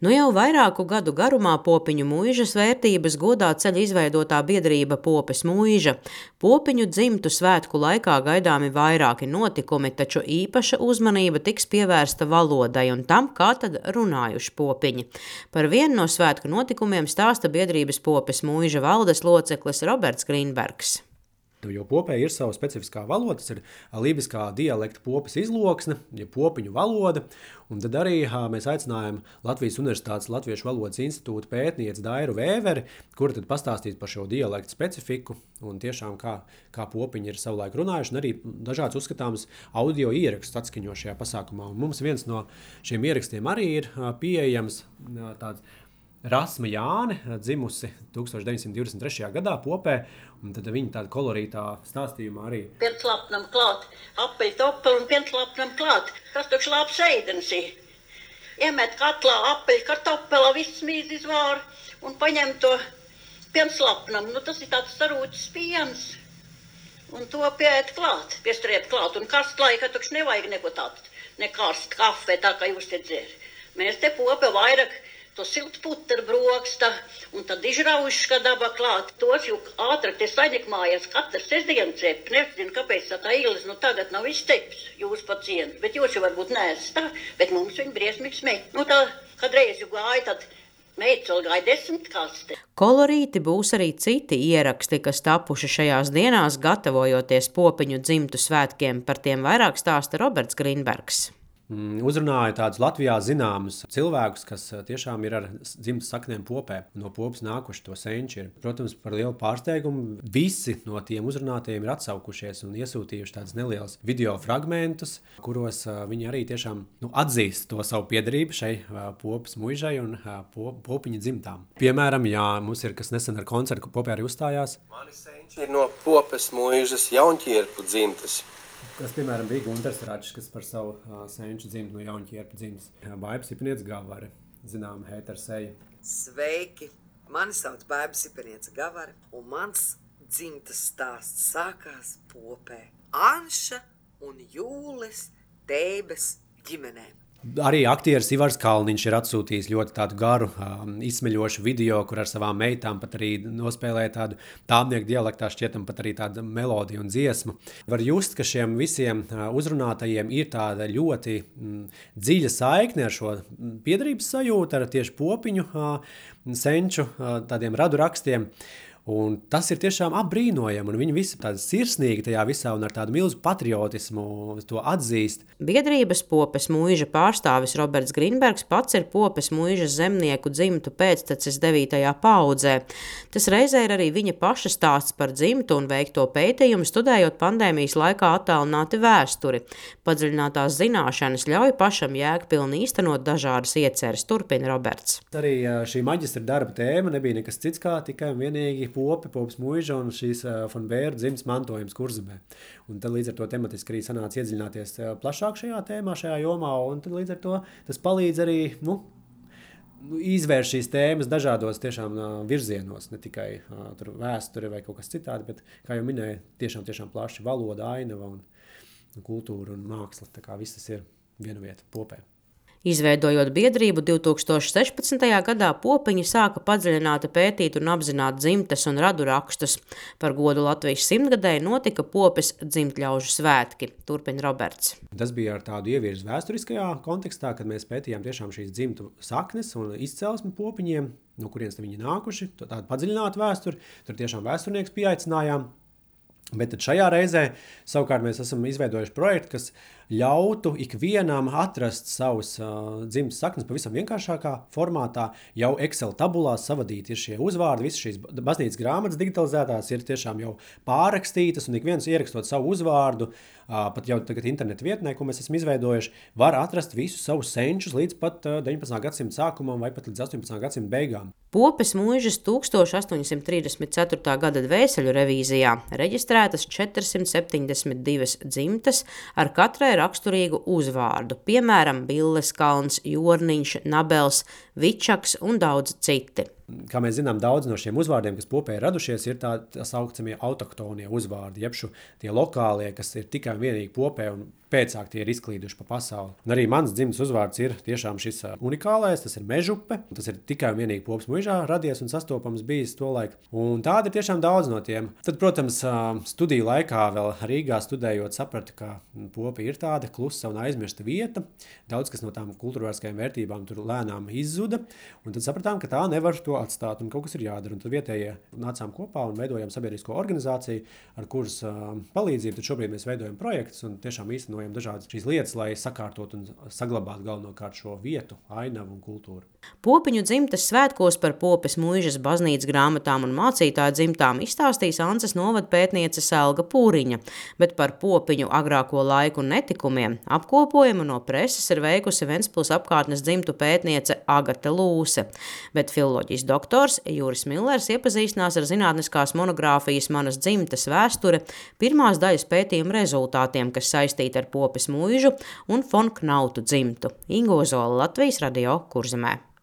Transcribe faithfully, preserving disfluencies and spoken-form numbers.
Nu jau vairāku gadu garumā Popiņu muižas vērtības godā ceļ izveidotā biedrība Popes muiža. Popiņu dzimtu svētku laikā gaidāmi vairāki notikumi, taču īpaša uzmanība tiks pievērsta valodai un tam, kā tad runājuši popiņi. Par vienu no svētku notikumiem stāsta biedrības Popes muiža valdes loceklis Roberts Grīnbergs. Jo Popē ir sava specifiskā valoda, tas ir lībiskā dialekta popes izloksne, ja popiņu valoda, un tad arī mēs aicinājām Latvijas Universitātes Latviešu valodas institūta pētnieci Dairu Vēveri, kura tad pastāstīs par šo dialektu specifiku un tiešām kā, kā popiņi ir savulaik runājuši, un arī dažāds uzskatāms audio ierakstus atskaņo šajā pasākumā. Un mums viens no šiem ierakstiem arī ir pieejams tāds Rasma Jāne, dzimusi tūkstoš deviņsimt divdesmit trešajā gadā Popē, un tad viņa tāda kolorītā stāstījumā arī. Pienslapnam klāt, apeļ topeli un pienslapnam klāt. Tas tukš labs ēdens ir. Iemet katlā apeļ kartopela, viss mīz izvār un paņem to pienslapnam. Nu, tas ir tāds sarūcis piens. Un to pieēt klāt, piestriet klāt. Un karst laika tukš nevajag neko tādu, ne karst kafē, tā kā jūs te dzer. Mēs te Pope vairāk to siltu puteru broksta, un tad izraujuši, daba klāt. Tos jau ātrāk te saņekmājas katrs sestdien cep. Nezinu, kāpēc tā īles, nu tagad nav izceps jūs pacienti, bet jūs jau varbūt neesat tā, bet mums viņi briesmīgi smēj. Nu tā, kad reiz jau gāja, tad meitas vēl gāja desmit kaste. Kolorīti būs arī citi ieraksti, kas tapuši šajās dienās, gatavojoties Popiņu dzimtu svētkiem. Par tiem vairāk stāsta Roberts Grīnbergs. Uzrunāja tādus Latvijā zināmus cilvēkus, kas tiešām ir ar dzimtas saknēm Popē. No Popes nākuši to senči ir. Protams, par lielu pārsteigumu visi no tiem uzrunātajiem ir atsaukušies un iesūtījuši tādus nelielus video fragmentus, kuros viņi arī tiešām nu, atzīst to savu piederību šai Popes muižai un Popiņa dzimtām. Piemēram, jā, mums ir kas nesen ar koncertu, ka Popē arī uzstājās. Mani senči ir no Popes muižas Jaunķierpu dzimtas. Kas, piemēram, bija Gunters Račs, kas par savu uh, senču dzimtu no Jaunķierpu dzimtas. Baiba Sipiniece Gavare, zināma heterseja. Sveiki! Mani sauc Baiba Sipiniece Gavare, un mans dzimtas stāsts sākās Popē. Anša un Jūles Teibes ģimenēm. Arī aktieris Ivars Kalniņš ir atsūtījis ļoti tādu garu, um, izsmeļošu video, kur ar savām meitām pat arī nospēlēja tādu tāmnieku dialektā šķietam pat arī tādu melodiju un dziesmu. Var just, ka šiem visiem uh, uzrunātajiem ir tāda ļoti mm, dziļa saikne ar šo piederības sajūtu, ar tieši Popiņu uh, senču uh, tādiem radu rakstiem. Un tas ir tiešām apbrīnojami, un viņi visi tādi sirsnīgi tajā visā un ar tādu milzu patriotismu to atzīst. Biedrības Popes muiža pārstāvis Roberts Grīnbergs pats ir Popes muižas zemnieku dzimtu pēctecis devītajā paaudzē. Tas reizē ir arī viņa paša stāsts par dzimtu un veikto pētījumu, studējot pandēmijas laikā attālināti vēsturi. Padziļinātās zināšanas ļauj pašam jēgpilni īstenot dažādas ieceres, turpina Roberts. Arī šī maģistra darba tēma nebija nekas cits kā tikai un vienīgi Pope, Popes muiža un šīs uh, von Bēru dzimtas mantojums Kurzemē. Un tad līdz ar to tematiski arī sanāca iedziļināties uh, plašāk šajā tēmā, šajā jomā, un tad līdz ar to tas palīdz arī, nu, izvērst šīs tēmas dažādos tiešām uh, virzienos, ne tikai uh, tur vēsture vai kaut kas citādi, bet, kā jau minēju, tiešām, tiešām plaši valoda, ainava un, un kultūra un māksla, tā kā viss tas ir viena vieta Popē. Izveidojot biedrību divtūkstoš sešpadsmitajā gadā, Popiņi sāka padziļināti pētīt un apzināt dzimtes un radu rakstus. Par godu Latvijas simtgadēji notika Popes dzimtļaužu svētki, turpina Roberts. Tas bija ar tādu ievirzi vēsturiskajā kontekstā, kad mēs pētījām tiešām šīs dzimtu saknes un izcelsmi Popiņiem, no kurienes viņi nākuši, tādu padziļinātu vēsturi, tur tiešām vēsturnieks pieaicinājām. Bet tad šajā reizē savukārt mēs esam izveidojuši projektu, kas ļautu ikvienam atrast savus uh, dzimtas saknes pavisam vienkāršākā formātā, jau Excel tabulās savadīt ir šie uzvārdi, visas šīs baznīcas grāmatas digitalizētās ir tiešām jau pārrakstītas, un ik viens ierakstot savu uzvārdu, uh, pat jau tagad internetu vietnē, ko mēs esam izveidojuši, var atrast visus savus senčus līdz pat uh, deviņpadsmitā gadsimta sākumam vai pat līdz astoņpadsmitā gadsimta beigām. Popes muižas tūkstoš astoņsimt trīsdesmit ceturtā gada dvēseļu revīzijā reģistrētas četrsimt septiņdesmit divas dzimtas ar katrai raksturīgu uzvārdu, piemēram, Billes kalns, Jorniņš, Nabels, Vičaks un daudz citi. Kā mēs zinām, daudz no šiem uzvārdiem, kas Popē ir radušies, ir tā, tā saucamie autoktonie uzvārdi, jeb šo tie lokālie, kas ir tikai un vienīgi Popē un pēcāk tie ir izklīduši pa pasauli. Un arī mans dzimtas uzvārds ir tiešām šis unikālais, tas ir Mežupe. Tas ir tikai un vienīgi Popas muižā radies un sastopams bijis tolaik. Un tādi ir tiešām daudz no tiem. Tad, protams, studiju laikā vēl Rīgā studējot sapratu, ka Popi ir tāda klusa un aizmirsta vieta. Daudz kas no tām kultūrvēriskajām vērtībām tur lēnām izzuda. Un tad sapratām, ka tā nevar to atstāt un kaut kas ir jādara. Un tad vietējie nācām kopā un veidojām sabiedrisko organizāciju, ar kuras palīdzību tad šobrīd mēs veidojam projektus un tiešām īstenojam dažādas šīs lietas, lai sakārtot un saglabātu galvenokārt šo vietu, ainavu un kultūru. Popiņu dzimtes svētkos par Popes muižas baznīcas grāmatām un mācītāju dzimtām izstāstīs Ances novada pētniece Selga Pūriņa, bet par Popiņu agrāko laiku un netikumiem apkopojumu no preses ir veikusi Ventspils apkārtnes dzimtu pētniece Agate Lūse, bet filoloģijas doktors Juris Millers iepazīstinās ar zinātniskās monogrāfijas Manas dzimtes vēsture pirmās daļas pētījuma rezultātiem, kas saistīti ar Popes muižu un Fon Knautu dzimtu. Ingo Zola, Latvijas radio Kurzemē.